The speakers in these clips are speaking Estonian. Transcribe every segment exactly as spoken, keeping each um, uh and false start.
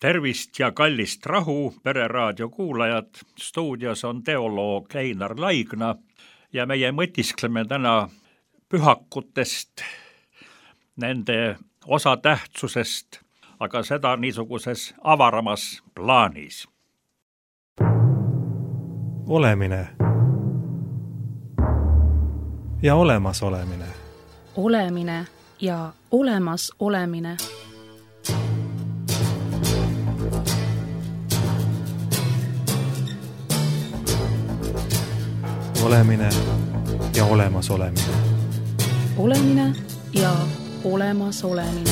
Tervist ja kallist rahu, Pereraadio kuulajad. Stuudios on teoloog Einar Laigna ja meie mõtiskleme täna pühakutest, nende osatähtsusest, aga seda niisuguses avaramas plaanis. Olemine ja olemas olemine. Olemine ja olemas olemine. Olemine ja olemas olemine. Olemine ja olemas olemine.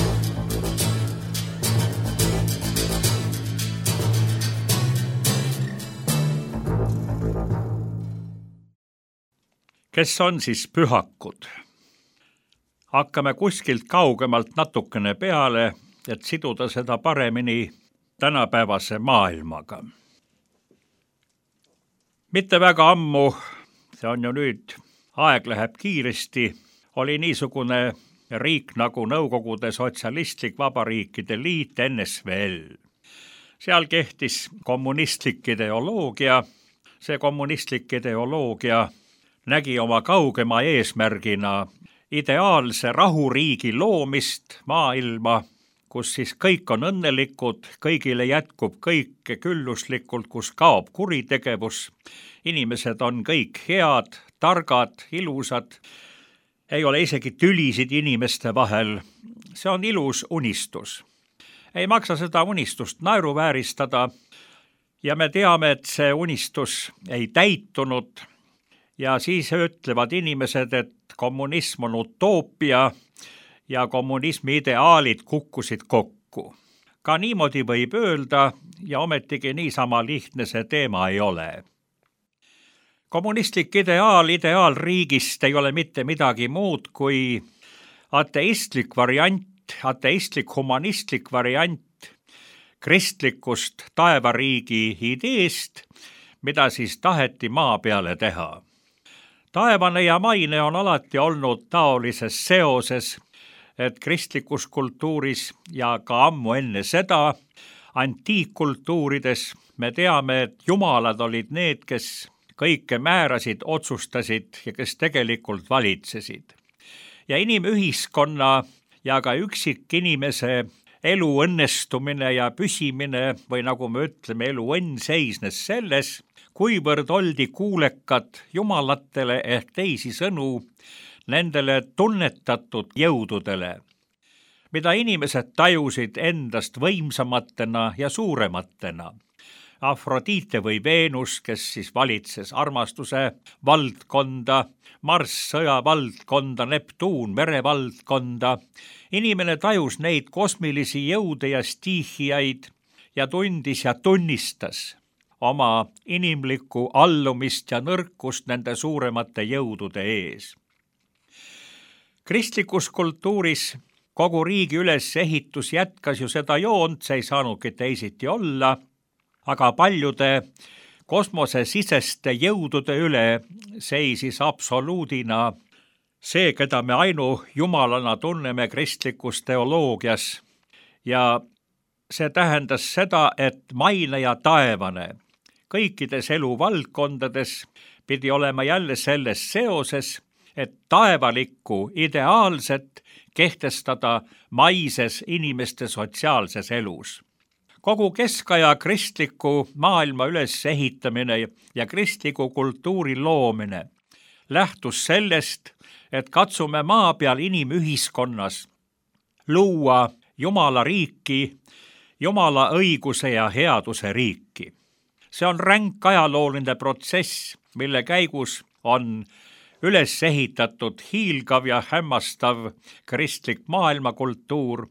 Kes on siis pühakud? Hakkame kuskilt kaugemalt natukene peale, et siduda seda paremini tänapäevase maailmaga. Mitte väga ammu, see on ju nüüd, aeg läheb kiiresti, oli niisugune riik nagu Nõukogude Sotsialistlik Vabariikide Liit N S V L. Seal kehtis kommunistlik ideoloogia. See kommunistlik ideoloogia nägi oma kaugema eesmärgina ideaalse rahuriigi loomist maailma, kus siis kõik on õnnelikud, kõigile jätkub kõik külluslikult, kus kaob kuritegevus. Inimesed on kõik head, targad, ilusad, ei ole isegi tülisid inimeste vahel. See on ilus unistus. Ei maksa seda unistust naeruvääristada ja me teame, et see unistus ei täitunud ja siis ütlevad inimesed, et kommunism on utoopia ja kommunismi ideaalid kukkusid kokku. Ka niimoodi võib öelda ja ometigi niisama lihtne see teema ei ole. Kommunistlik ideaal ideaalriigist ei ole mitte midagi muud kui ateistlik variant, ateistlik humanistlik variant kristlikust taevariigi ideest, mida siis taheti maa peale teha. Taevane ja maine on alati olnud taolises seoses, et kristlikus kultuuris ja ka ammu enne seda antiikkultuurides me teame, et jumalad olid need, kes kõike määrasid, otsustasid ja kes tegelikult valitsesid. Ja inimühiskonna ja ka üksikinimese elu õnnestumine ja püsimine või nagu me ütleme, elu õnn seisnes selles, kuivõrd oldi kuulekad jumalatele ehk teisi sõnu nendele tunnetatud jõududele, mida inimesed tajusid endast võimsamatena ja suurematena. Afrodite või Veenus, kes siis valitses armastuse valdkonda, Marss sõjavaldkonda, Neptuun merevaldkonda. Inimene tajus neid kosmilisi jõude ja stiihiaid ja tundis ja tunnistas oma inimlikku allumist ja nõrkust nende suuremate jõudude ees. Kristlikus kultuuris kogu riigi ülesehitus jätkas ju seda joont, see ei saanudki teisiti olla, aga paljude kosmosesiseste jõudude üle seisis absoluudina see, keda me ainu jumalana tunneme kristlikus teoloogias. Ja see tähendas seda, et maine ja taevane kõikides eluvaldkondades pidi olema jälle selles seoses, et taevalikku ideaalset kehtestada maises inimeste sotsiaalses elus. Kogu keskaja kristliku maailma ülesehitamine ja kristliku kultuuri loomine lähtus sellest, et katsume maa peal inimühiskonnas luua Jumala riiki, Jumala õiguse ja headuse riiki. See on ränk ajalooline protsess, mille käigus on üles ehitatud hiilgav ja hämmastav kristlik maailmakultuur,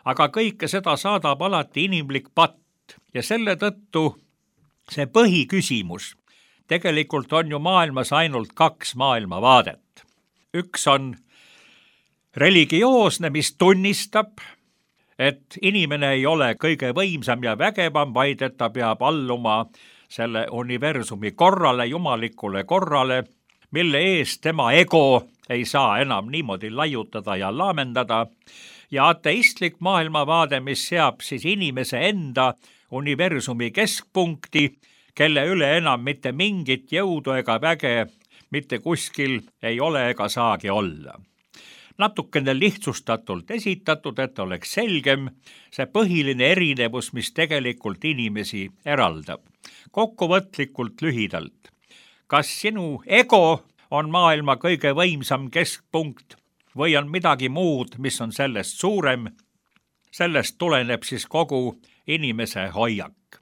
aga kõike seda saadab alati inimlik patt ja selle tõttu see põhiküsimus. Tegelikult on ju maailmas ainult kaks maailmavaadet. Üks on religioosne, mis tunnistab, et inimene ei ole kõige võimsam ja vägevam, vaid et ta peab alluma selle universumi korrale, jumalikule korrale, mille eest tema ego ei saa enam niimoodi laiutada ja laamendada ja ateistlik maailmavaade, mis seab siis inimese enda universumi keskpunkti, kelle üle enam mitte mingit jõudu ega väge mitte kuskil ei ole ega saagi olla. Natukene lihtsustatult esitatud, et oleks selgem see põhiline erinevus, mis tegelikult inimesi eraldab. Kokkuvõtlikult lühidalt. Kas sinu ego on maailma kõige võimsam keskpunkt või on midagi muud, mis on sellest suurem? Sellest tuleneb siis kogu inimese hoiak.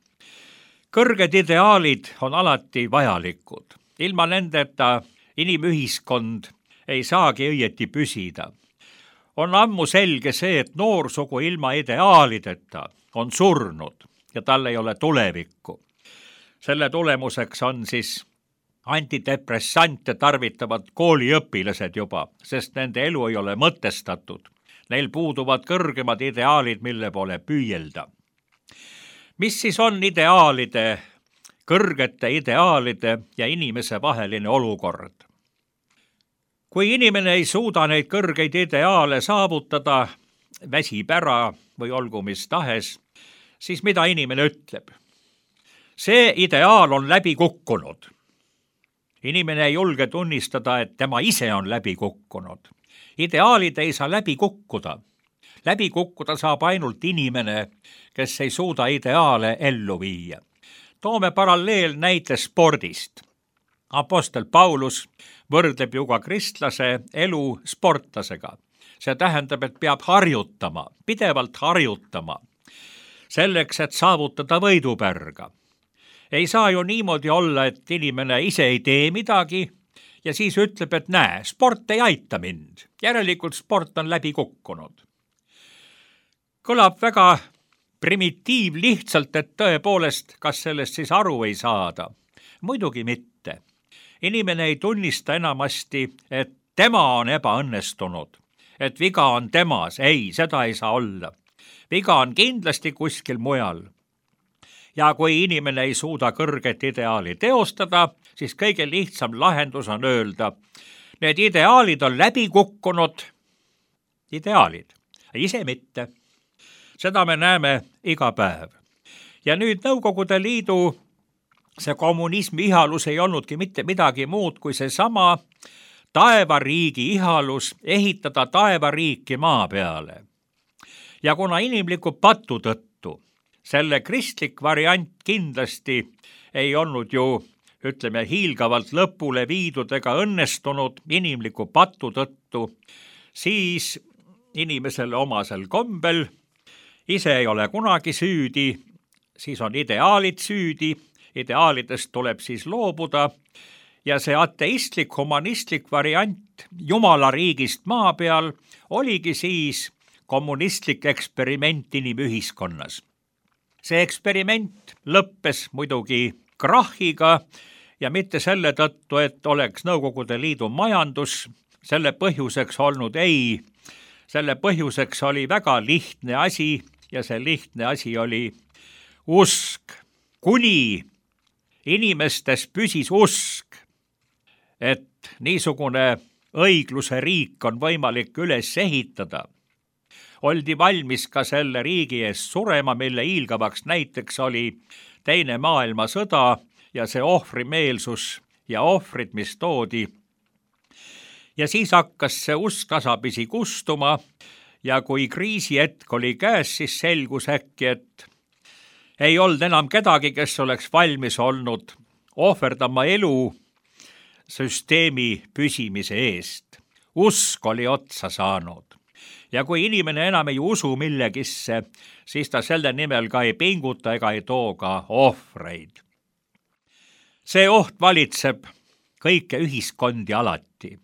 Kõrged ideaalid on alati vajalikud. Ilma nendeta inimühiskond ei saagi õieti püsida. On ammu selge see, et noorsugu ilma ideaalideta on surnud ja tal ei ole tulevikku. Selle tulemuseks on siis antidepressante tarvitavad kooliõpilased juba, sest nende elu ei ole mõtestatud. Neil puuduvad kõrgemad ideaalid, mille poole püüelda. Mis siis on ideaalide, kõrgete ideaalide ja inimese vaheline olukord? Kui inimene ei suuda neid kõrgeid ideaale saavutada, väsib ära või olgu mis tahes, siis mida inimene ütleb? See ideaal on läbi kukkunud. Inimene ei julge tunnistada, et tema ise on läbi kukkunud. Ideaalid ei saa läbi kukkuda. Läbi kukkuda saab ainult inimene, kes ei suuda ideaale ellu viia. Toome paralleel näite spordist. Apostel Paulus võrdleb ju ka kristlase elu sportlasega. See tähendab, et peab harjutama, pidevalt harjutama, selleks, et saavutada võidupärga. Ei saa ju niimoodi olla, et inimene ise ei tee midagi ja siis ütleb, et näe, sport ei aita mind. Järelikult sport on läbi kukkunud. Kõlab väga primitiiv lihtsalt, et tõepoolest, kas sellest siis aru ei saada? Muidugi mitte. Inimene ei tunnista enamasti, et tema on ebaõnnestunud, et viga on temas. Ei, seda ei saa olla. Viga on kindlasti kuskil mujal. Ja kui inimene ei suuda kõrget ideaali teostada, siis kõige lihtsam lahendus on öelda, need ideaalid on läbi kukkunud ideaalid, ise mitte. Seda me näeme iga päev. Ja nüüd Nõukogude Liidu see kommunismi ihalus ei olnudki mitte midagi muud kui see sama taevariigi ihalus ehitada taevariiki maa peale. Ja kuna inimliku patu tõttu selle kristlik variant kindlasti ei olnud ju, ütleme, hiilgavalt lõpule viidud ega õnnestunud inimliku patu tõttu, siis inimesele omasel kombel ise ei ole kunagi süüdi, siis on ideaalid süüdi, ideaalidest tuleb siis loobuda ja see ateistlik, humanistlik variant Jumala riigist maa peal oligi siis kommunistlik eksperiment inimühiskonnas. See eksperiment lõppes muidugi krahhiga ja mitte selle tõttu, et oleks Nõukogude Liidu majandus selle põhjuseks olnud, ei. Selle põhjuseks oli väga lihtne asi ja see lihtne asi oli usk. Kuni inimestes püsis usk, et niisugune õigluse riik on võimalik üles ehitada, oldi valmis ka selle riigi eest surema, mille hiilgavaks näiteks oli teine maailmasõda ja see ohvrimeelsus ja ohvrid, mis toodi. Ja siis hakkas see usk tasapisi kustuma ja kui kriisihetk oli käes, siis selgus äkki, et ei olnud enam kedagi, kes oleks valmis olnud ohverdama elu süsteemi püsimise eest. Usk oli otsa saanud. Ja kui inimene enam ei usu millegisse, siis ta selle nimel ka ei pinguta ega ei too ka ohvreid. See oht valitseb kõike ühiskondi alati.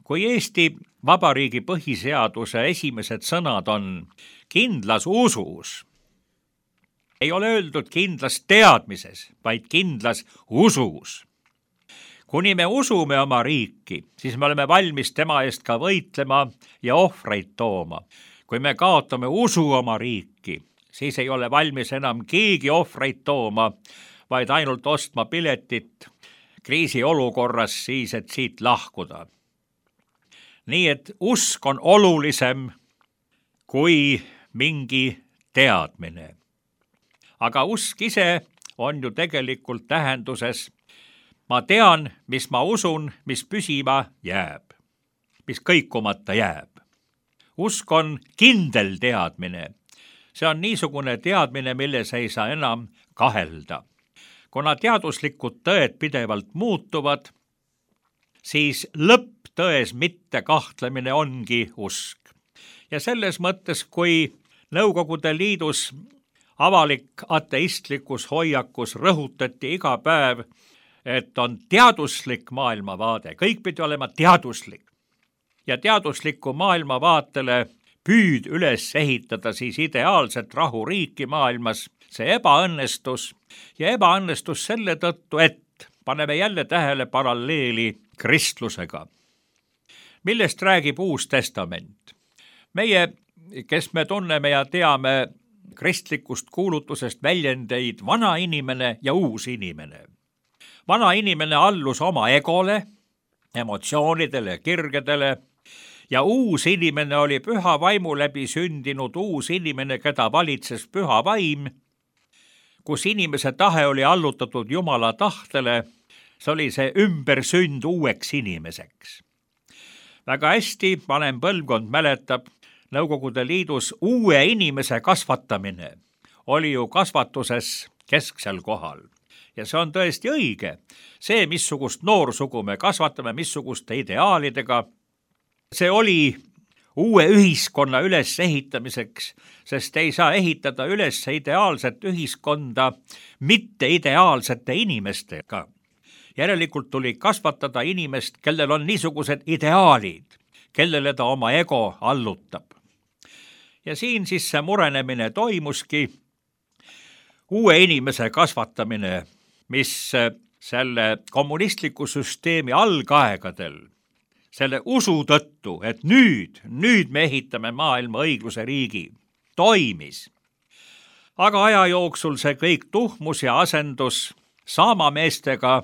Kui Eesti Vabariigi põhiseaduse esimesed sõnad on kindlas usus, ei ole öeldud kindlas teadmises, vaid kindlas usus. Kuni me usume oma riiki, siis me oleme valmis tema eest ka võitlema ja ohvreid tooma. Kui me kaotame usu oma riiki, siis ei ole valmis enam keegi ohvreid tooma, vaid ainult ostma piletit kriisiolukorras siis, et siit lahkuda. Nii et usk on olulisem kui mingi teadmine. aga usk ise on ju tegelikult tähenduses ma tean, mis ma usun, mis püsima jääb, mis kõikumata jääb. Usk on kindel teadmine. See on niisugune teadmine, milles ei saa enam kahelda. Kuna teaduslikud tõed pidevalt muutuvad, siis lõpptões mitte kahtlemine ongi usk. Ja selles mõttes, kui Nõukogude Liidus avalik ateistlikus hoiakus rõhutati iga päev, et on teaduslik maailmavaade, kõik pidi olema teaduslik. Ja teadusliku maailmavaatele püüd üles ehitada siis ideaalset rahuriiki maailmas, see ebaõnnestus ja ebaõnnestus selle tõttu, et paneme jälle tähele paralleeli kristlusega. Millest räägib Uus Testament? Meie, kes me tunneme ja teame kristlikust kuulutusest väljendeid vana inimene ja uus inimene. Vana inimene allus oma egole, emotsioonidele ja kirgedele ja uus inimene oli püha vaimu läbi sündinud uus inimene, keda valitses püha vaim, kus inimese tahe oli allutatud Jumala tahtele, see oli see ümbersünd uueks inimeseks. Väga hästi vanem põlvkond mäletab, Nõukogude Liidus uue inimese kasvatamine oli ju kasvatuses kesksel kohal. Ja see on tõesti õige. See, missugust noorsugu me kasvatame, missuguste ideaalidega, see oli uue ühiskonna üles ehitamiseks, sest ei saa ehitada üles ideaalset ühiskonda mitte ideaalsete inimestega. Järelikult tuli kasvatada inimest, kellel on niisugused ideaalid, kellele ta oma ego allutab. Ja siin siis see murenemine toimuski, uue inimese kasvatamine, mis selle kommunistliku süsteemi algaegadel, selle usu tõttu, et nüüd, nüüd me ehitame maailma õigluse riigi, toimis. Aga aja jooksul see kõik tuhmus ja asendus saamameestega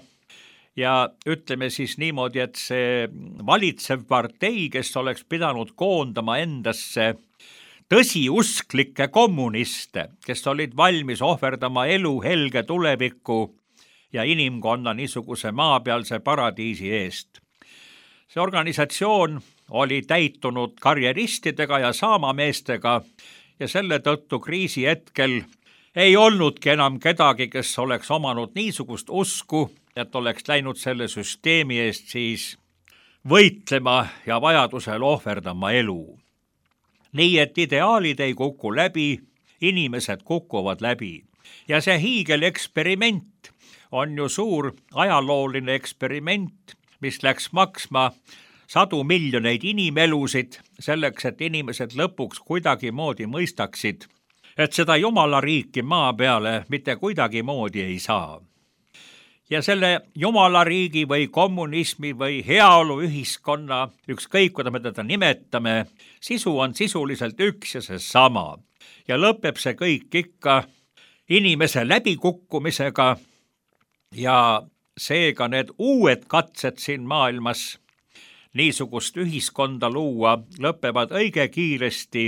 ja ütleme siis niimoodi, et see valitsev partei, kes oleks pidanud koondama endasse tõsiusklikke kommuniste, kes olid valmis ohverdama elu helge tuleviku ja inimkonna niisuguse maapealse paradiisi eest. See organisatsioon oli täitunud karjeristidega ja saamameestega ja selle tõttu kriisi hetkel ei olnudki enam kedagi, kes oleks omanud niisugust usku, et oleks läinud selle süsteemi eest siis võitlema ja vajadusel ohverdama elu. Nii et ideaalid ei kuku läbi, inimesed kukuvad läbi. Ja see hiigeleksperiment on ju suur ajalooline eksperiment, mis läks maksma sadu miljoneid inimelusid selleks, et inimesed lõpuks kuidagi moodi mõistaksid, et seda Jumala riiki maa peale mitte kuidagi moodi ei saa. Ja selle Jumala riigi või kommunismi või heaolu ühiskonna, ükskõik kuidas me teda nimetame, sisu on sisuliselt üks ja see sama. Ja lõpeb see kõik ikka inimese läbikukkumisega ja seega need uued katsed siin maailmas niisugust ühiskonda luua lõpevad õige kiiresti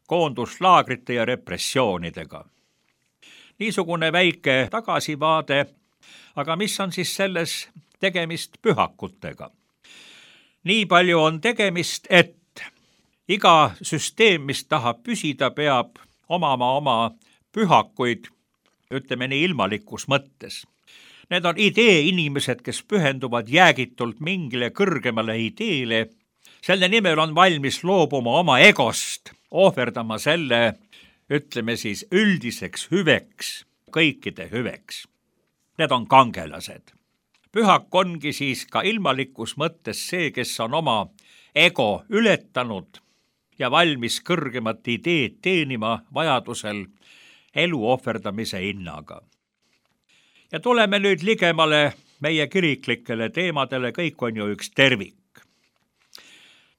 koonduslaagrite ja repressioonidega. Niisugune väike tagasivaade. Aga mis on siis selles tegemist pühakutega? Nii palju on tegemist, et iga süsteem, mis tahab püsida, peab omama oma pühakuid, ütleme nii ilmalikus mõttes. Need on idee inimesed, kes pühenduvad jäägitult mingile kõrgemale ideele. Selle nimel on valmis loobuma oma egost, ohverdama selle, ütleme siis üldiseks hüveks, kõikide hüveks. Need on kangelased. Pühak ongi siis ka ilmalikus mõttes see, kes on oma ego ületanud ja valmis kõrgemat ideed teenima vajadusel elu ohverdamise hinnaga. Ja tuleme nüüd ligemale meie kiriklikele teemadele, kõik on ju üks tervik.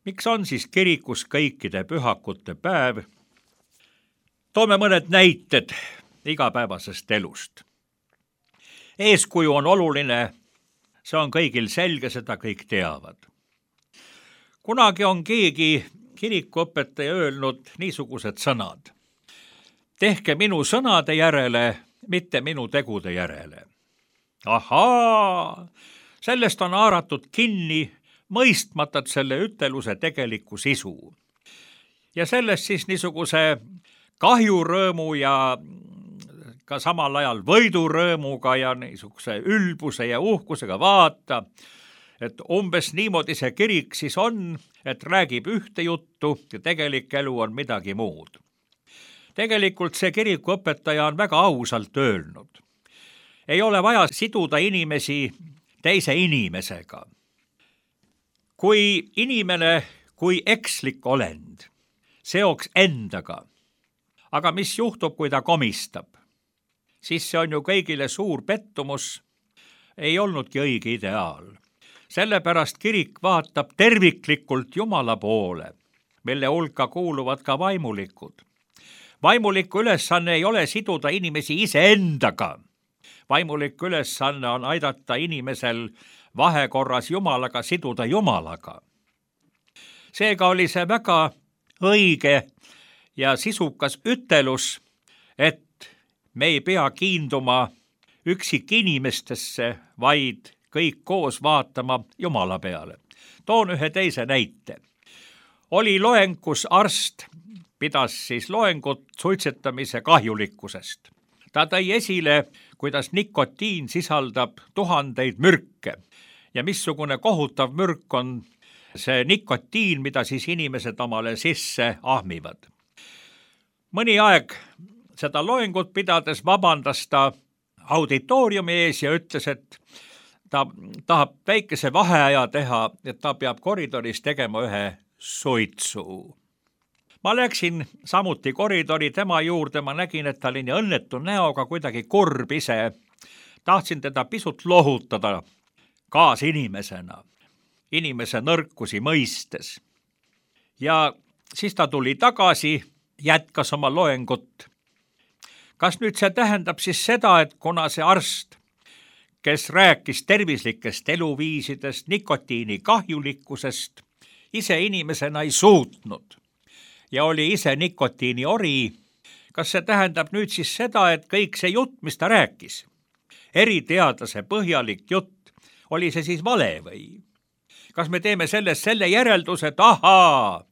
Miks on siis kirikus kõikide pühakute päev? Toome mõned näited igapäevasest elust. Eeskuju on oluline, see on kõigil selge, seda kõik teavad. Kunagi on keegi kirikuõpetaja öelnud niisugused sõnad. Tehke minu sõnade järele, mitte minu tegude järele. Ahaa, sellest on haaratud kinni, mõistmata selle üteluse tegelikku sisu. Ja sellest siis niisuguse kahjurõõmu ja ka samal ajal võidurõõmuga ja niisuguse ülbuse ja uhkusega vaata, et umbes niimoodi see kirik siis on, et räägib ühte juttu ja tegelik elu on midagi muud. Tegelikult see kirikuõpetaja on väga ausalt öelnud. Ei ole vaja siduda inimesi teise inimesega. Kui inimene, kui ekslik olend, seoks endaga, aga mis juhtub, kui ta komistab, siis see on ju kõigile suur pettumus, ei olnudki õige ideaal. Sellepärast kirik vaatab terviklikult Jumala poole, mille hulka kuuluvad ka vaimulikud. Vaimuliku ülesanne ei ole siduda inimesi iseendaga. Vaimuliku ülesanne on aidata inimesel vahekorras Jumalaga siduda Jumalaga. Seega oli see väga õige ja sisukas ütelus, et me ei pea kiinduma üksik inimestesse, vaid kõik koos vaatama Jumala peale. Toon ühe teise näite. Oli loeng, kus arst pidas siis loengut suitsetamise kahjulikkusest. Ta tõi esile, kuidas nikotiin sisaldab tuhandeid mürke ja missugune kohutav mürk on see nikotiin, mida siis inimesed omale sisse ahmivad. Mõni aeg seda loengut pidades vabandas ta auditooriumi ees ja ütles, et ta tahab väikese vaheaja teha, et ta peab koridoris tegema ühe suitsu. Ma läksin samuti koridori tema juurde, ma nägin, et ta oli nii õnnetu näoga, kuidagi kurb ise. Tahtsin teda pisut lohutada kaasinimesena, inimese nõrkusi mõistes. Ja siis ta tuli tagasi, jätkas oma loengut. Kas nüüd see tähendab siis seda, et kuna see arst, kes rääkis tervislikest eluviisidest, nikotiini kahjulikkusest, ise inimesena ei suutnud ja oli ise nikotiini ori, kas see tähendab nüüd siis seda, et kõik see jutt, mis ta rääkis, eriteadlase põhjalik jutt, oli see siis vale või? Kas me teeme sellest selle järelduse, et ahaa,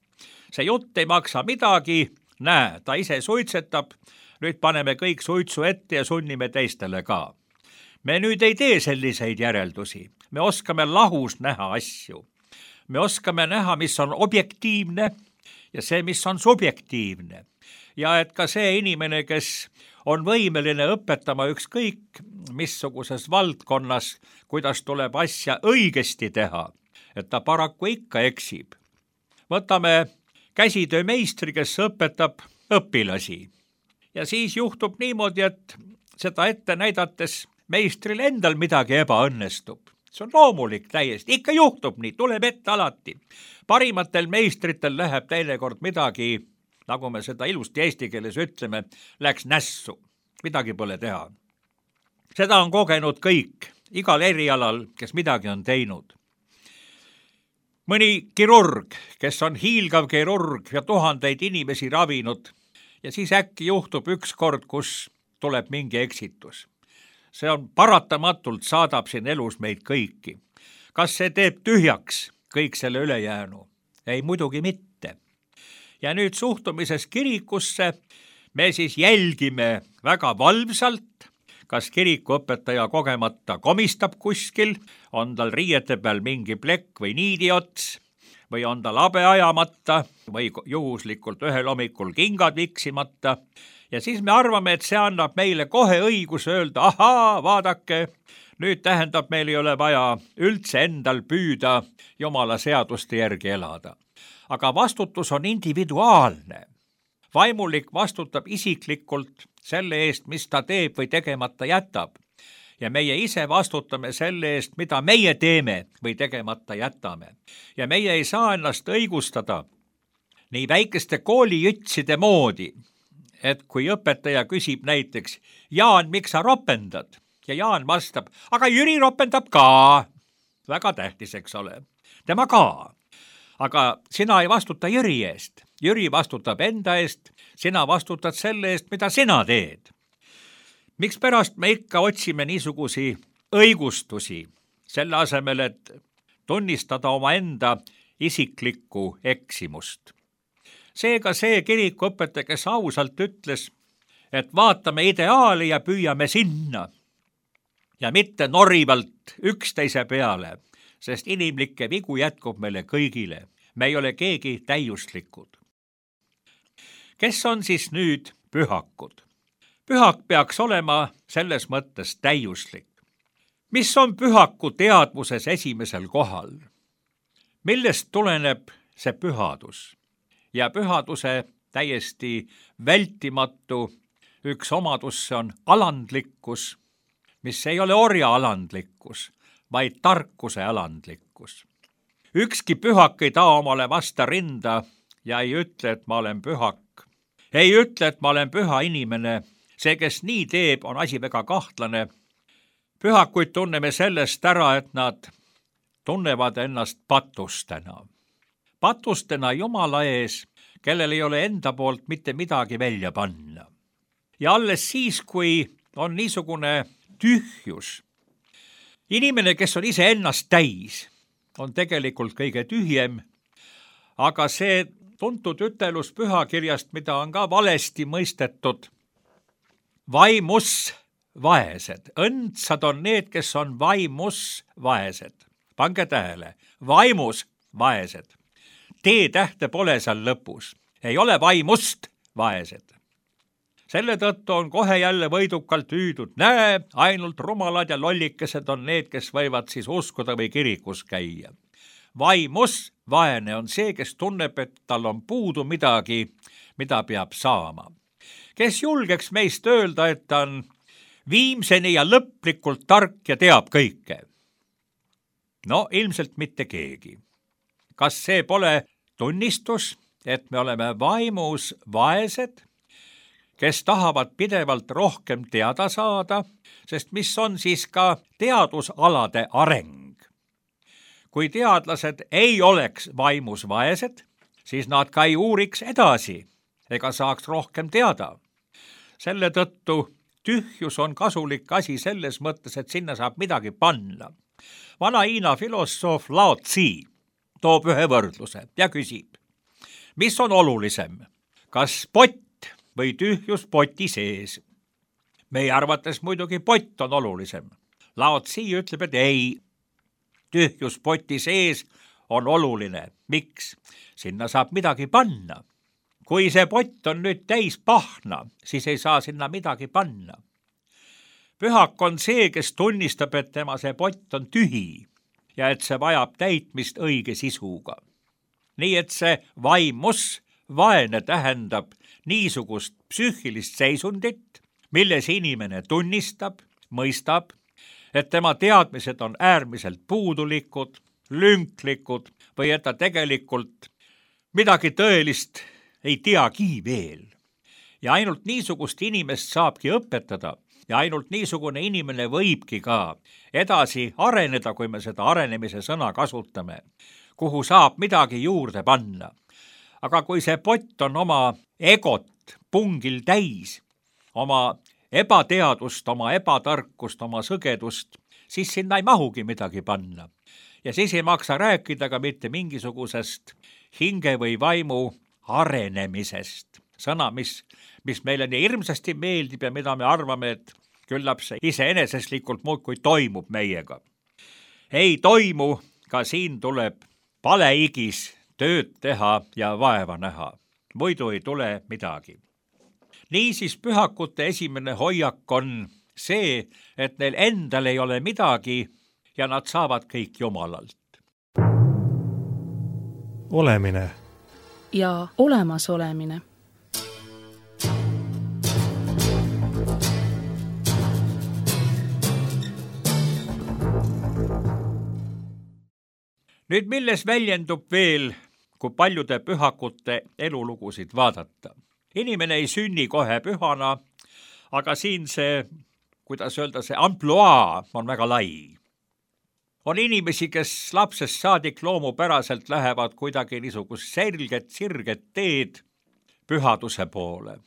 see jutt ei maksa midagi, näe, ta ise suitsetab, nüüd paneme kõik suitsu ette ja sunnime teistele ka. Me nüüd ei tee selliseid järeldusi, me oskame lahus näha asju. Me oskame näha, mis on objektiivne ja see, mis on subjektiivne. Ja et ka see inimene, kes on võimeline õpetama ükskõik missuguses valdkonnas, kuidas tuleb asja õigesti teha, et ta paraku ikka eksib. Võtame käsitöömeistri, kes õpetab õpilasi. Ja siis juhtub niimoodi, et seda ette näidates meistril endal midagi ebaõnnestub. See on loomulik täiesti, ikka juhtub nii, tuleb ette alati. Parimatel meistritel läheb teinekord midagi, nagu me seda ilusti eesti keeles ütleme, läks nässu, midagi pole teha. Seda on kogenud kõik, igal erialal, kes midagi on teinud. Mõni kirurg, kes on hiilgav kirurg ja tuhandeid inimesi ravinud ja siis äkki juhtub üks kord, kus tuleb mingi eksitus. See on paratamatult saadab siin elus meid kõiki. Kas see teeb tühjaks kõik selle ülejäänu? Ei, muidugi mitte. Ja nüüd suhtumises kirikusse me siis jälgime väga valvsalt, kas kirikuõpetaja kogemata komistab kuskil, on tal riiete peal mingi plekk või niidiots, või on tal habe ajamata või juhuslikult ühel hommikul kingad viksimata. Ja siis me arvame, et see annab meile kohe õigus öelda, ahaa, vaadake, nüüd tähendab, meil ei ole vaja üldse endal püüda Jumala seaduste järgi elada. Aga vastutus on individuaalne. Vaimulik vastutab isiklikult selle eest, mis ta teeb või tegemata jätab. Ja meie ise vastutame selle eest, mida meie teeme või tegemata jätame. Ja meie ei saa ennast õigustada nii väikeste koolijütside moodi, et kui õpetaja küsib näiteks, Jaan, miks sa ropendad? Ja Jaan vastab, aga Jüri ropendab ka. Väga tähtis, eks ole. Tema ka. aga sina ei vastuta Jüri eest. Jüri vastutab enda eest, sina vastutad selle eest, mida sina teed. Mikspärast me ikka otsime niisugusi õigustusi, selle asemel, et tunnistada oma enda isiklikku eksimust. Seega see kirikuõpetaja, kes ausalt ütles, et vaatame ideaali ja püüame sinna ja mitte norivalt üksteise peale, sest inimlikke vigu jätkub meile kõigile. Me ei ole keegi täiuslikud. Kes on siis nüüd pühakud? Pühak peaks olema selles mõttes täiuslik. Mis on pühaku teadvuses esimesel kohal? Millest tuleneb see pühadus? Ja pühaduse täiesti vältimatu üks omadus on alandlikkus, mis ei ole orja alandlikkus, vaid tarkuse alandlikkus. Ükski pühak ei taa omale vasta rinda ja ei ütle, et ma olen pühak. Ei ütle, et ma olen püha inimene. See, kes nii teeb, on asi väga kahtlane. Pühakuid tunneme sellest ära, et nad tunnevad ennast patustena. Patustena Jumala ees, kellel ei ole enda poolt mitte midagi välja panna. Ja alles siis, kui on niisugune tühjus. Inimene, kes on ise ennast täis, on tegelikult kõige tühjem, aga see tuntud ütelus pühakirjast, mida on ka valesti mõistetud, vaimus vaesed. Õndsad on need, kes on vaimus vaesed. Pange tähele, vaimus vaesed. T-tähte pole seal lõpus. Ei ole vaimust vaesed. Selle tõttu on kohe jälle võidukalt hüüdud. Näe, ainult rumalad ja lollikesed on need, kes võivad siis uskuda või kirikus käia. Vaimus vaene on see, kes tunneb, et tal on puudu midagi, mida peab saama. Kes julgeks meist öelda, et ta on viimseni ja lõplikult tark ja teab kõike? No ilmselt mitte keegi. Kas see pole tunnistus, et me oleme vaimus vaesed, kes tahavad pidevalt rohkem teada saada, sest mis on siis ka teadusalade areng? Kui teadlased ei oleks vaimus vaesed, siis nad ka ei uuriks edasi ega saaks rohkem teada. Selle tõttu tühjus on kasulik asi selles mõttes, et sinna saab midagi panna. Vana Hiina filosoof Lao Tzu toob ühe võrdluse ja küsib, mis on olulisem, kas pott või tühjus poti sees? Meie arvates muidugi pott on olulisem. Lao Tzu ütleb, et ei, tühjus poti sees on oluline. Miks? Sinna saab midagi panna. Kui see pott on nüüd täis pahna, siis ei saa sinna midagi panna. Pühak on see, kes tunnistab, et tema see pott on tühi ja et see vajab täitmist õige sisuga. Nii et see vaimus vaene tähendab niisugust psüühilist seisundit, milles inimene tunnistab, mõistab, et tema teadmised on äärmiselt puudulikud, lünklikud või et ta tegelikult midagi tõelist ei teagi veel. Ja ainult niisugust inimest saabki õpetada ja ainult niisugune inimene võibki ka edasi areneda, kui me seda arenemise sõna kasutame, kuhu saab midagi juurde panna. Aga kui see pott on oma egot pungil täis, oma ebateadust, oma ebatarkust, oma sõgedust, siis sinna ei mahugi midagi panna. Ja siis ei maksa rääkida ka mitte mingisugusest hinge või vaimu arenemisest. Sõna, mis, mis meile nii hirmsasti meeldib ja mida me arvame, et küllap see iseeneseslikult muudkui toimub meiega. Ei toimu, ka siin tuleb paleigis tööd teha ja vaeva näha. Muidu ei tule midagi. Niisiis pühakute esimene hoiak on see, et neil endal ei ole midagi ja nad saavad kõik Jumalalt. Olemine ja olemasolemine. Nüüd milles väljendub veel, kui paljude pühakute elulugusid vaadata? Inimene ei sünni kohe pühana, aga siin see, kuidas öelda, see ampluaa on väga lai. On inimesi, kes lapsest saadik loomupäraselt lähevad kuidagi niisugust selget, sirget teed pühaduse poole.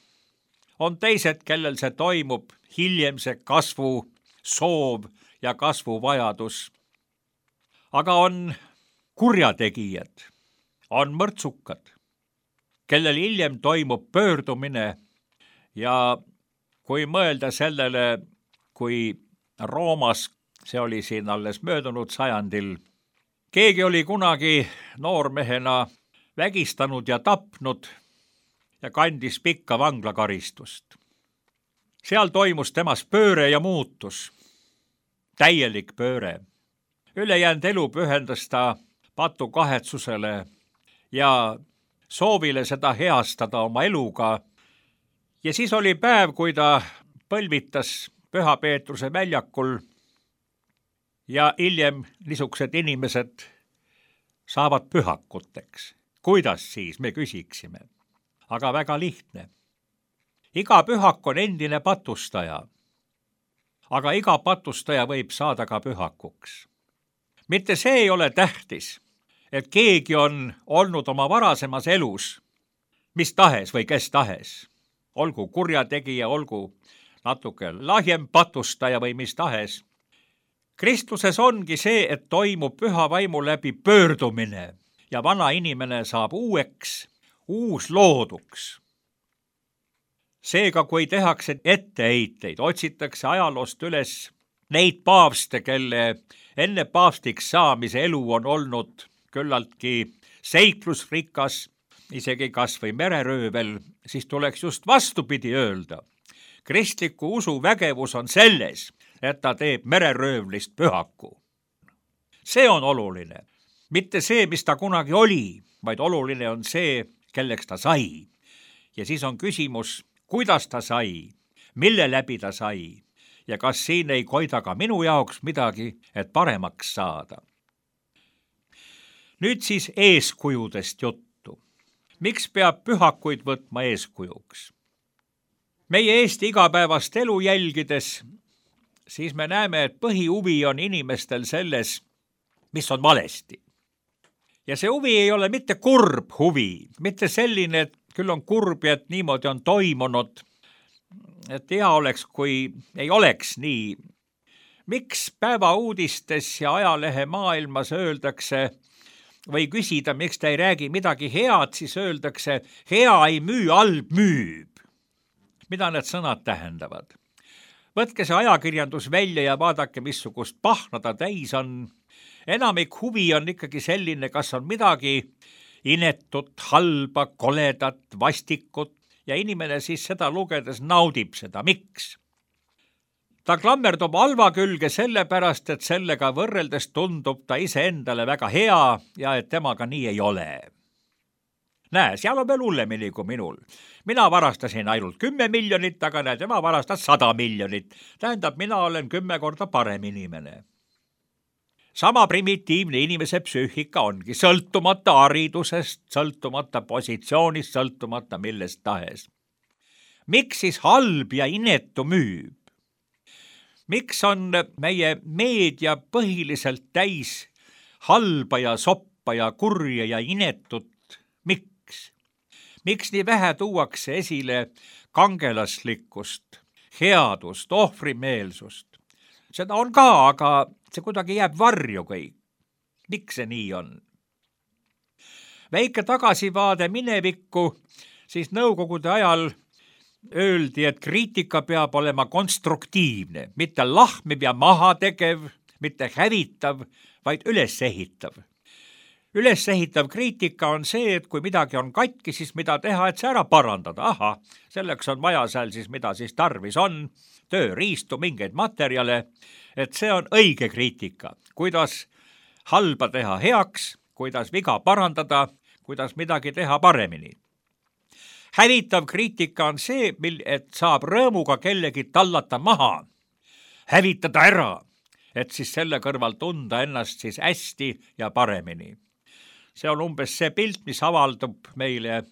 On teised, kellel see toimub hiljem see kasvu soov ja kasvuvajadus. Aga on kurjategijad, on mõrtsukad, kellel hiljem toimub pöördumine ja kui mõelda sellele, kui Roomas, see oli siin alles möödunud sajandil, keegi oli kunagi noormehena vägistanud ja tapnud ja kandis pikka vanglakaristust. Seal toimus temas pööre ja muutus, täielik pööre. Ülejäänud elu pühendas ta patukahetsusele ja soovile seda heastada oma eluga. Ja siis oli päev, kui ta põlvitas Püha Peetruse väljakul ja hiljem niisugused inimesed saavad pühakuteks. Kuidas siis, me küsiksime. Aga väga lihtne. Iga pühak on endine patustaja, aga iga patustaja võib saada ka pühakuks. Mitte see ei ole tähtis, et keegi on olnud oma varasemas elus, mis tahes või kes tahes, olgu kurjategija, olgu natuke lahjem patustaja või mis tahes. Kristluses ongi see, et toimub püha vaimu läbi pöördumine ja vana inimene saab uueks, uus looduks. Seega, kui tehakse etteheiteid, otsitakse ajaloost üles neid paavste, kelle enne paavstiks saamise elu on olnud küllaltki seiklusrikas, isegi kas või mereröövel, siis tuleks just vastupidi öelda. Kristliku usu vägevus on selles, et ta teeb mereröövlist pühaku. See on oluline. Mitte see, mis ta kunagi oli, vaid oluline on see, kelleks ta sai. Ja siis on küsimus, kuidas ta sai, mille läbi ta sai ja kas siin ei koida ka minu jaoks midagi, et paremaks saada. Nüüd siis eeskujudest juttu. Miks peab pühakuid võtma eeskujuks? Meie Eesti igapäevast elu jälgides, siis me näeme, et põhihuvi on inimestel selles, mis on valesti. Ja see huvi ei ole mitte kurb huvi, mitte selline, et küll on kurb ja et niimoodi on toimunud, et hea oleks, kui ei oleks nii. Miks päevauudistes ja ajalehe maailmas öeldakse või küsida, miks ta ei räägi midagi head, siis öeldakse, hea ei müü, halb müüb. Mida need sõnad tähendavad? Võtke see ajakirjandus välja ja vaadake, missugust pahna ta täis on. Enamik huvi on ikkagi selline, kas on midagi inetut, halba, koledat, vastikut ja inimene siis seda lugedes naudib seda. Miks? Ta klammerdub halva külge sellepärast, et sellega võrreldes tundub ta iseendale väga hea ja et temaga nii ei ole. Näe, seal on veel hullemini kui minul. Mina varastasin ainult kümme miljonit, aga näe, tema varastas sada miljonit. Tähendab, mina olen kümme korda parem inimene. Sama primitiivne inimese psüühika ongi sõltumata haridusest, sõltumata positsioonist, sõltumata millest tahes. Miks siis halb ja inetu müüb? Miks on meie meedia põhiliselt täis halba ja soppa ja kurja ja inetut? Miks? Miks nii vähe tuuakse esile kangelaslikkust, headust, ohvrimeelsust? Seda on ka, aga see kuidagi jääb varju kõik. Miks see nii on? Väike tagasivaade minevikku, siis nõukogude ajal öeldi, et kriitika peab olema konstruktiivne, mitte lahmiv ja mahategev, mitte hävitav, vaid ülesehitav. Ülesehitav kriitika on see, et kui midagi on katki, siis mida teha, et see ära parandada. Aha, selleks on vaja seal siis, mida siis tarvis on, tööriistu, mingeid materjale, et see on õige kriitika. Kuidas halba teha heaks, kuidas viga parandada, kuidas midagi teha paremini. Hävitav kriitika on see, et saab rõõmuga kellegi tallata maha, hävitada ära, et siis selle kõrval tunda ennast siis hästi ja paremini. See on umbes see pilt, mis avaldub meile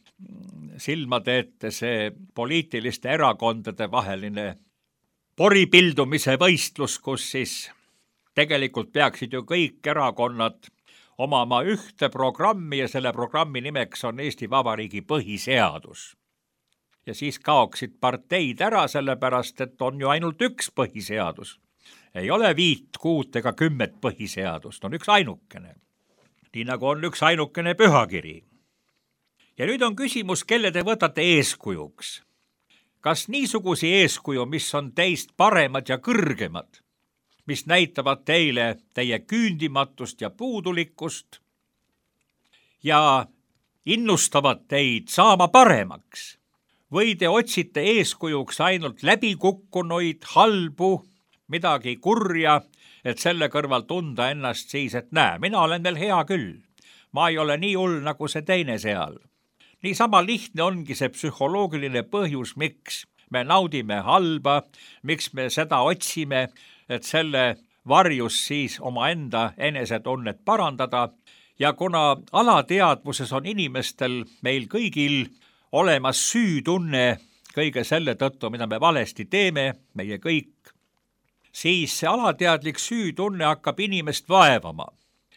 silmade ette, see poliitiliste erakondade vaheline poripildumise võistlus, kus siis Tegelikult peaksid ju kõik erakonnad omama ühte programmi ja selle programmi nimeks on Eesti Vabariigi põhiseadus. Ja siis kaoksid parteid ära, sellepärast, et on ju ainult üks põhiseadus. Ei ole viit, kuut ega kümmet põhiseadust, on üks ainukene. Nii nagu on üks ainukene pühakiri. Ja nüüd on küsimus, kelle te võtate eeskujuks. Kas niisugusi eeskuju, mis on teist paremad ja kõrgemad, mis näitavad teile teie küündimatust ja puudulikkust ja innustavad teid saama paremaks, või te otsite eeskujuks ainult läbikukkunuid, halbu, midagi kurja, et selle kõrval tunda ennast siis, et näe, mina olen veel hea küll, ma ei ole nii hull nagu see teine seal. Niisama lihtne ongi see psühholoogiline põhjus, miks me naudime halba, miks me seda otsime, et selle varjus siis omaenda enesetunnet parandada ja kuna alateadvuses on inimestel meil kõigil olemas süütunne kõige selle tõttu, mida me valesti teeme, meie kõik, siis see alateadlik süütunne hakkab inimest vaevama.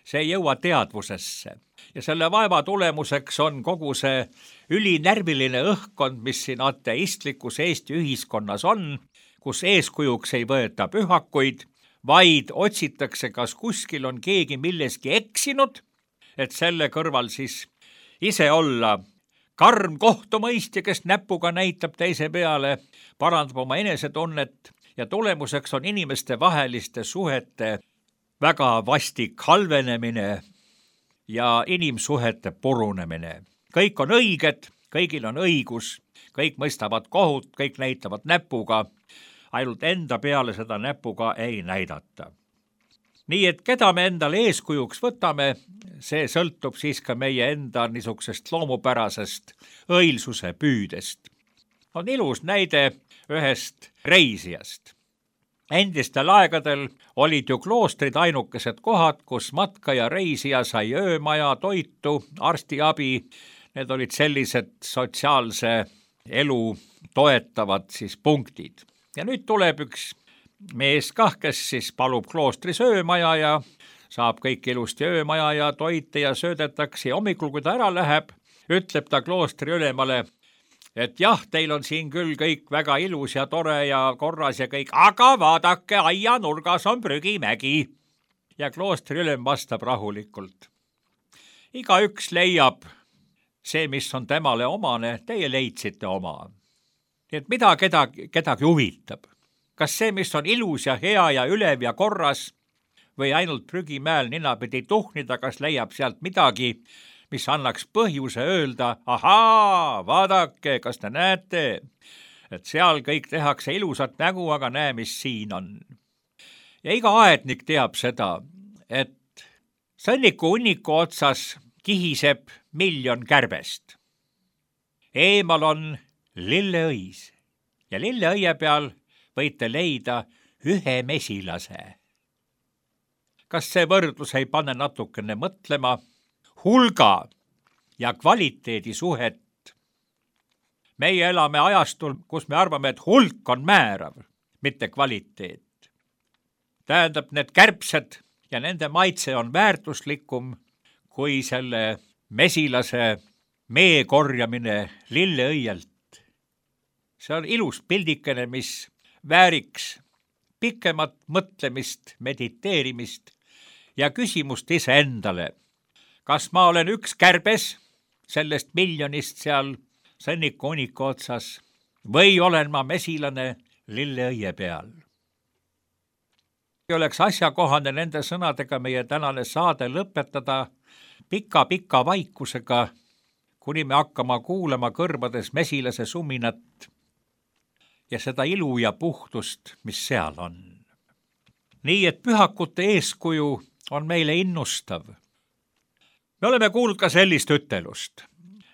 See ei jõua teadvusesse ja selle vaeva tulemuseks on kogu see ülinärviline õhkkond, mis siin ateistlikus Eesti ühiskonnas on, kus eeskujuks ei võeta pühakuid, vaid otsitakse, kas kuskil on keegi milleski eksinud, et selle kõrval siis ise olla karm kohtumõistja, kes näpuga näitab teise peale, parandab oma enesetunnet ja tulemuseks on inimeste vaheliste suhete väga vastik halvenemine ja inimsuhete purunemine. Kõik on õiged, kõigil on õigus, kõik mõistavad kohut, kõik näitavad näpuga, ainult enda peale seda näpuga ei näidata. Nii et keda me endale eeskujuks võtame, see sõltub siis ka meie enda niisugusest loomupärasest õilsuse püüdest. On ilus näide ühest reisijast. Endistel aegadel olid ju kloostrid ainukesed kohad, kus matka ja reisija sai öömaja, toitu, arstiabi. Need olid sellised sotsiaalse elu toetavad siis punktid. Ja nüüd tuleb üks mees kah, kes siis palub kloostris öömaja ja saab kõik ilusti öömaja ja toite ja söödetakse. Ja hommikul, kui ta ära läheb, ütleb ta kloostri ülemale, et jah, teil on siin küll kõik väga ilus ja tore ja korras ja kõik, aga vaadake, aia nurgas on prügimägi. Ja kloostri ülem vastab rahulikult. Igaüks leiab see, mis on temale omane, teie leidsite oma. Nii et mida kedagi, kedagi huvitab? Kas see, mis on ilus ja hea ja ülev ja korras või ainult prügimäel ninapidi tuhnida, kas leiab sealt midagi, mis annaks põhjuse öelda, ahaa, vaadake, kas te näete, et seal kõik tehakse ilusat nägu, aga näe, mis siin on. Ja iga aednik teab seda, et sõnniku hunniku otsas kihiseb miljon kärbest. Eemal on lilleõis ja lilleõie peal võite leida ühe mesilase. Kas see võrdlus ei pane natukene mõtlema hulga ja kvaliteedi suhet? Meie elame ajastul, kus me arvame, et hulk on määrav, mitte kvaliteet. Tähendab, need kärbsed ja nende maitse on väärtuslikum kui selle mesilase mee korjamine lilleõielt. See on ilus pildikene, mis vääriks pikemat mõtlemist, mediteerimist ja küsimust ise endale. Kas ma olen üks kärbes sellest miljonist seal sõnniku hunniku otsas või olen ma mesilane lilleõie peal? Oleks asjakohane nende sõnadega meie tänane saade lõpetada pika-pika vaikusega, kuni me hakkama kuulama kõrvades mesilase suminat ja seda ilu ja puhtust, mis seal on. Nii et pühakute eeskuju on meile innustav. Me oleme kuulnud ka sellist ütelust,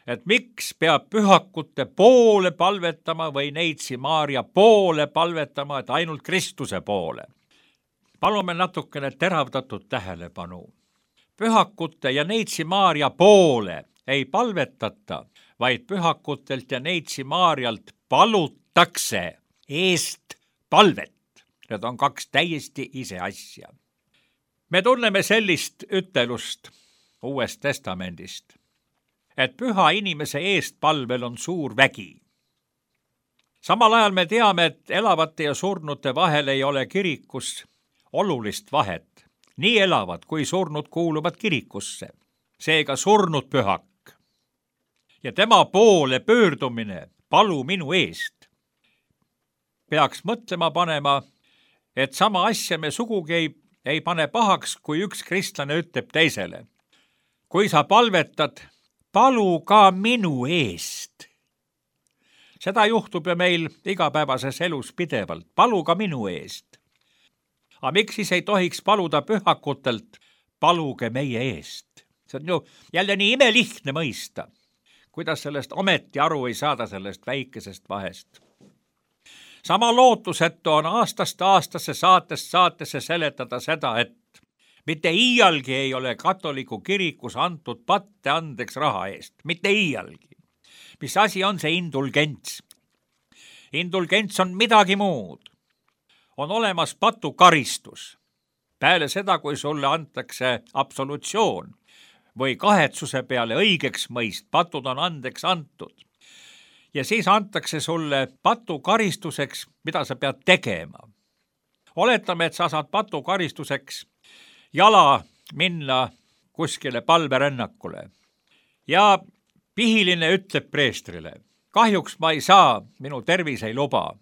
et miks peab pühakute poole palvetama või Neitsi Maarja poole palvetama, et ainult Kristuse poole. Palume natukene teravdatud tähelepanu. Pühakute ja Neitsi Maarja poole ei palvetata, vaid pühakutelt ja Neitsi Maarjalt palutakse eest palvet. Need on kaks täiesti ise asja. me tunneme sellist ütelust Uuest Testamendist, et püha inimese eestpalvel on suur vägi. Samal ajal me teame, et elavate ja surnute vahel ei ole kirikus olulist vahet. Nii elavad kui surnud kuuluvad kirikusse, seega surnud pühak. Ja tema poole pöördumine, palu minu eest, peaks mõtlema panema, et sama asja me sugugi ei, ei pane pahaks, kui üks kristlane ütleb teisele. Kui sa palvetad, palu ka minu eest. Seda juhtub ju meil igapäevases elus pidevalt, palu ka minu eest. Aga miks siis ei tohiks paluda pühakutelt, paluge meie eest? See on ju jälle nii imelihtne mõista, kuidas sellest ometi aru ei saada sellest väikesest vahest. Sama lootusetu on aastast aastasse saatest saatesse seletada seda, et mitte iialgi ei ole katoliku kirikus antud patte andeks raha eest, mitte iialgi. Mis asi on see indulgents? Indulgents on midagi muud. On olemas patukaristus. Peale seda, kui sulle antakse absolutsioon või kahetsuse peale õigeks mõist, patud on andeks antud. Ja siis antakse sulle patukaristuseks, mida sa pead tegema. Oletame, et sa saad patukaristuseks jala minna kuskile palverännakule. Ja pihiline ütleb preestrile, kahjuks ma ei saa, minu tervis ei luba.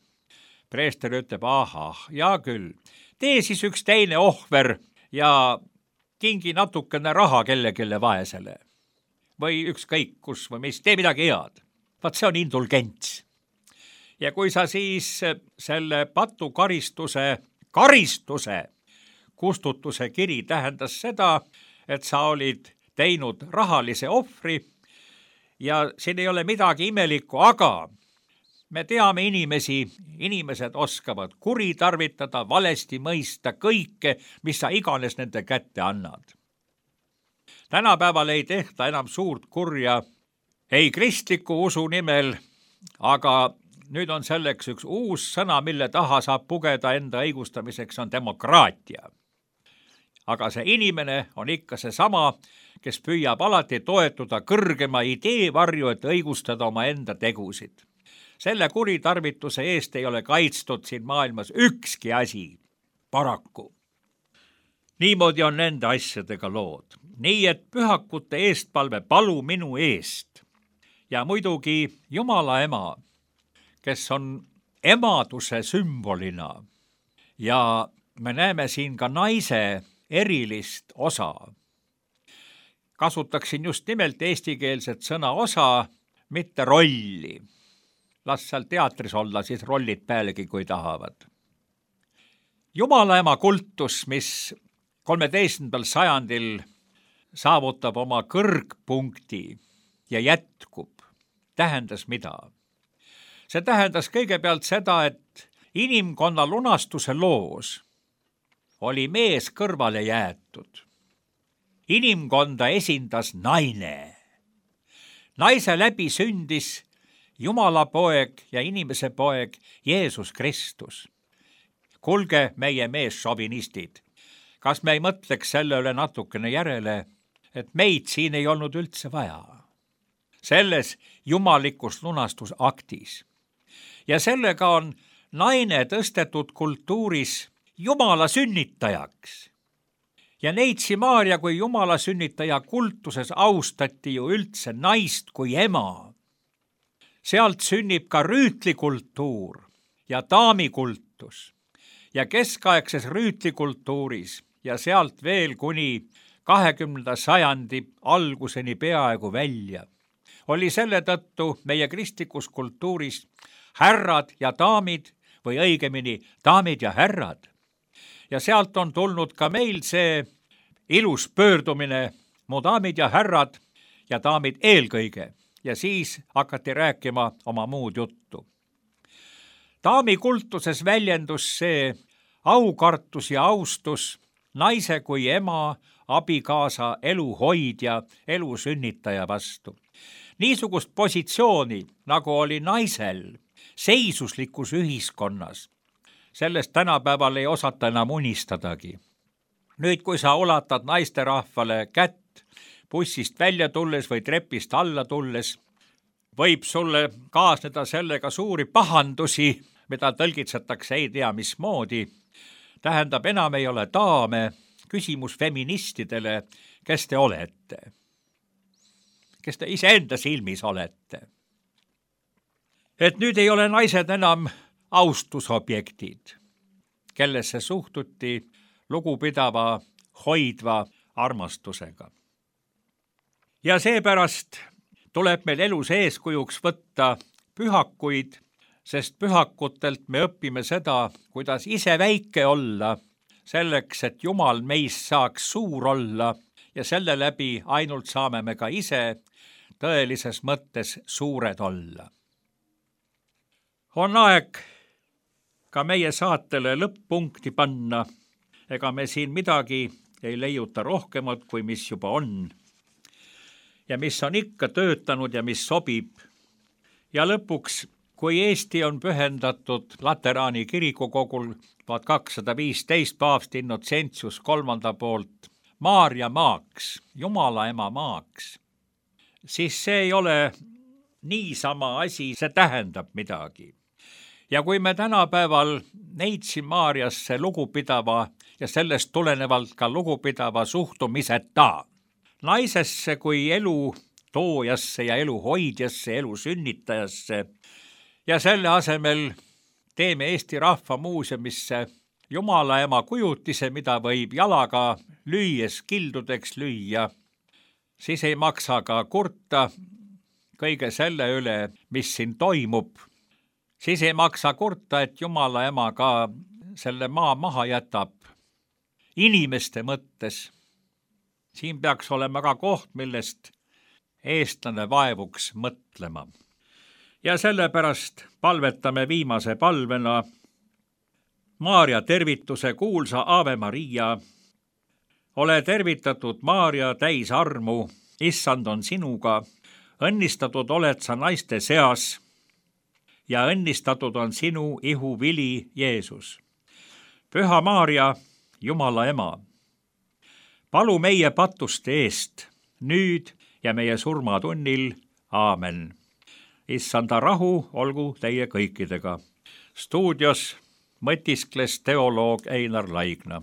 Preester ütleb, ahah, ja küll, tee siis üks teine ohver ja kingi natukene raha kellelegi vaesele. Või ükskõik kus või mis, tee midagi head. Vaat see on indulgents. Ja kui sa siis selle patukaristuse, karistuse, kustutuse kiri tähendas seda, et sa olid teinud rahalise ohvri ja siin ei ole midagi imelikku, aga me teame inimesi, inimesed oskavad kuritarvitada, valesti mõista kõike, mis sa iganes nende kätte annad. Tänapäeval ei tehta enam suurt kurja ei kristliku usu nimel, aga nüüd on selleks üks uus sõna, mille taha saab pugeda enda õigustamiseks, on demokraatia. Aga see inimene on ikka see sama, kes püüab alati toetuda kõrgema idee varju, et õigustada oma enda tegusid. Selle kuritarvituse eest ei ole kaitstud siin maailmas ükski asi, paraku. Niimoodi on nende asjadega lood. Nii, et pühakute eestpalve palu minu eest. Ja muidugi Jumala ema, kes on emaduse sümbolina. Ja me näeme siin ka naise erilist osa. Kasutaksin just nimelt eestikeelset sõna osa, mitte rolli. Las seal teatris olla, siis rollid pealegi, kui tahavad. Jumala ema kultus, mis kolmeteistkümnendal sajandil saavutab oma kõrgpunkti ja jätkub, tähendas mida? See tähendas kõigepealt seda, et inimkonna lunastuse loos oli mees kõrvale jäetud. Inimkonda esindas naine. Naise läbi sündis Jumala poeg ja inimese poeg Jeesus Kristus. Kulge meie meesšovinistid, kas me ei mõtleks selle üle natukene järele, et meid siin ei olnud üldse vaja. Selles jumalikus lunastusaktis. Ja sellega on naine tõstetud kultuuris Jumala sünnitajaks. Ja Neitsi Maarja kui Jumala sünnitaja kultuses austati ju üldse naist kui ema. Sealt sünnib ka rüütlikultuur ja daamikultus ja keskaegses rüütlikultuuris ja sealt veel kuni kahekümnenda sajandi alguseni peaaegu välja. Oli selle tõttu meie kristlikus kultuuris härrad ja daamid või õigemini daamid ja härrad. Ja sealt on tulnud ka meil see ilus pöördumine, mu daamid ja härrad ja daamid eelkõige. Ja siis hakati rääkima oma muud juttu. Daami kultuses väljendus see aukartus ja austus naise kui ema, abikaasa, eluhoidja, elu sünnitaja vastu. Niisugust positsiooni, nagu oli naisel seisuslikus ühiskonnas, sellest tänapäeval ei osata enam unistadagi. nüüd, kui sa ulatad naisterahvale kätt bussist välja tulles või trepist alla tulles, võib sulle kaasneda sellega suuri pahandusi, mida tõlgitsetakse ei tea mismoodi. Tähendab, enam ei ole daame. Küsimus feministidele, kes te olete? Kes te iseenda silmis olete? Et nüüd ei ole naised enam austusobjektid, kellesse suhtuti lugupidava, hoidva armastusega. Ja seepärast tuleb meil elus eeskujuks võtta pühakuid, sest pühakutelt me õpime seda, kuidas ise väike olla, selleks, et Jumal meist saaks suur olla ja selle läbi ainult saame me ka ise tõelises mõttes suured olla. On aeg ka meie saatele lõpp-punkti panna, ega me siin midagi ei leiuta rohkemat, kui mis juba on ja mis on ikka töötanud ja mis sobib. Ja lõpuks, kui Eesti on pühendatud Lateraani kirikukogul tuhat kakssada viisteist paavst Innocentius kolmanda poolt Maarja maaks, Jumala ema maaks, siis see ei ole niisama asi, see tähendab midagi. Ja kui me tänapäeval neitsi Maarjasse lugupidava ja sellest tulenevalt ka lugupidava suhtumiseta naisesse kui elu toojasse ja elu hoidjasse, elu sünnitajasse ja selle asemel teeme Eesti Rahva Muuseumisse Jumala ema kujutise, mida võib jalaga lüües kildudeks lüüa, siis ei maksa ka kurta kõige selle üle, mis siin toimub. Siis ei maksa kurta, et Jumala ema ka selle maa maha jätab inimeste mõttes. Siin peaks olema ka koht, millest eestlane vaevuks mõtlema. Ja sellepärast palvetame viimase palvena Maarja tervituse kuulsa Ave Maria. Ole tervitatud, Maarja, täis armu, issand on sinuga, õnnistatud oled sa naiste seas ja õnnistatud on sinu ihu vili Jeesus. Püha Maarja, Jumala ema, palu meie patuste eest, nüüd ja meie surmatunnil. Aamen. Issanda rahu olgu teie kõikidega. Stuudios mõtiskles teoloog Einar Laigna.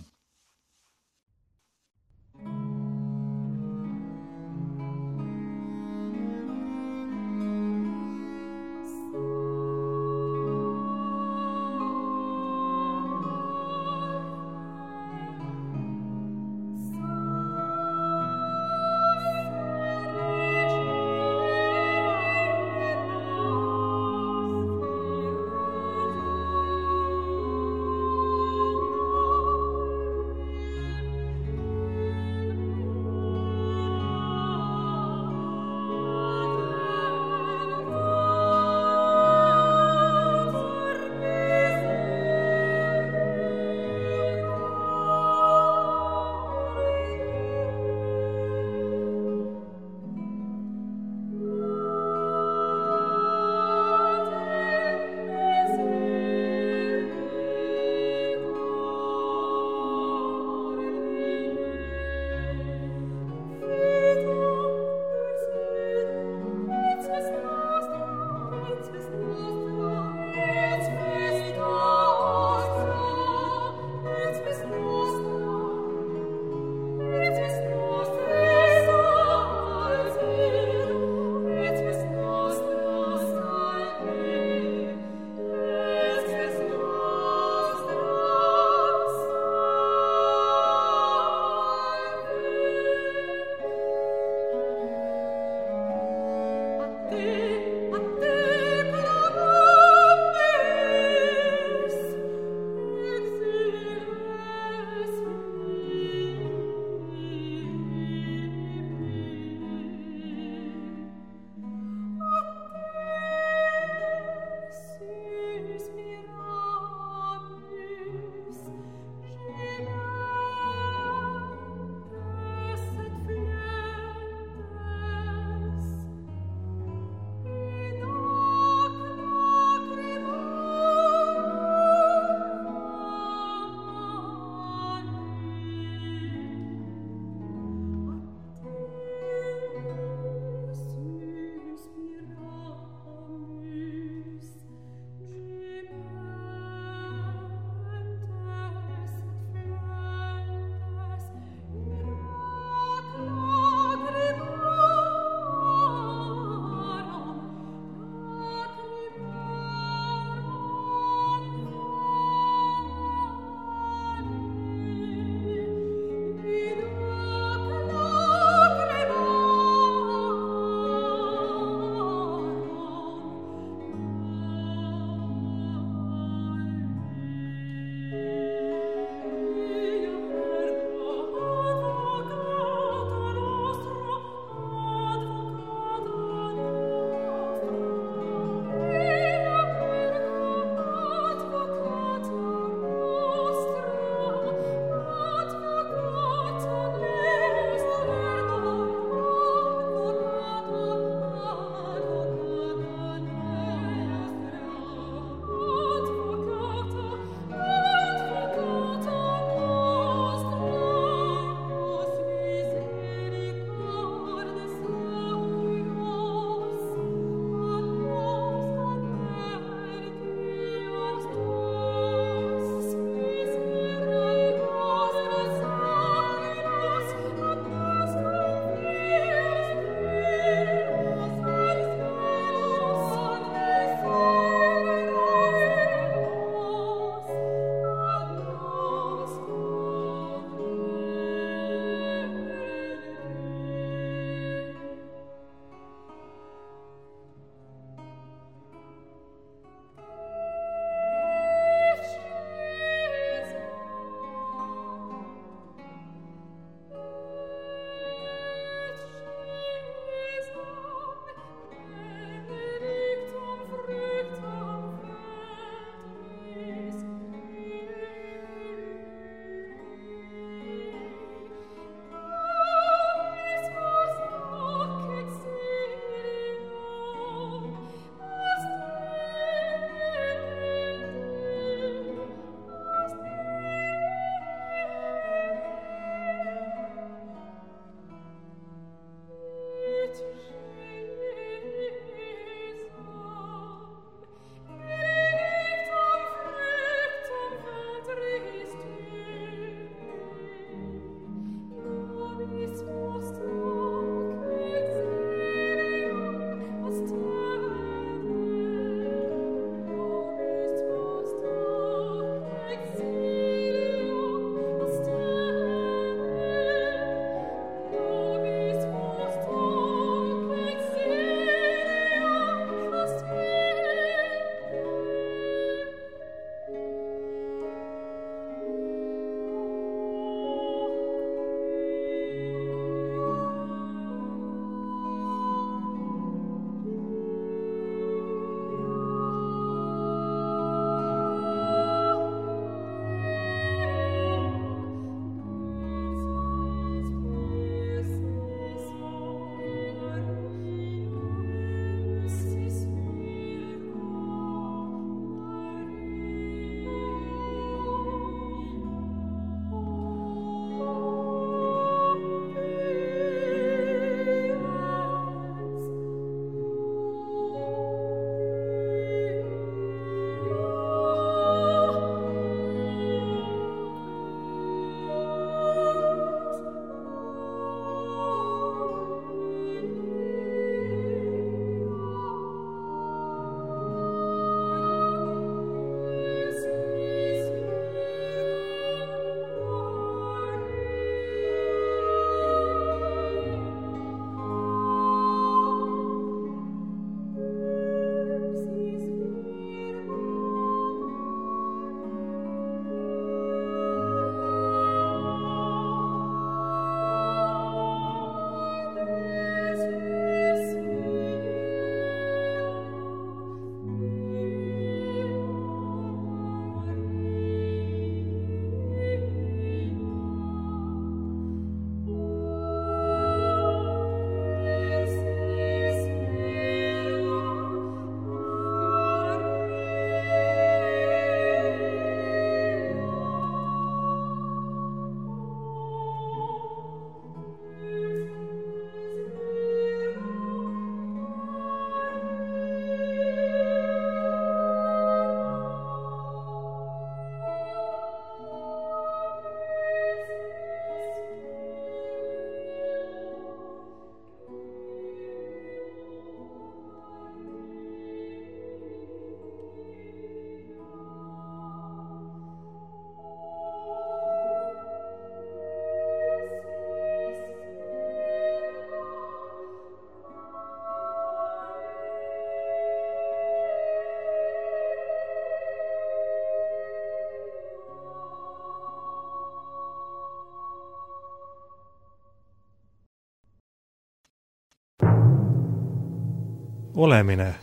olemine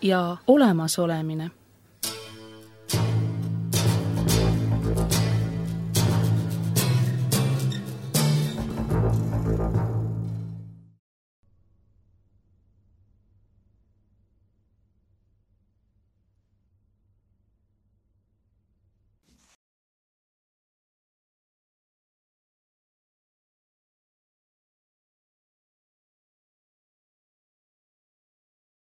ja olemasolemine.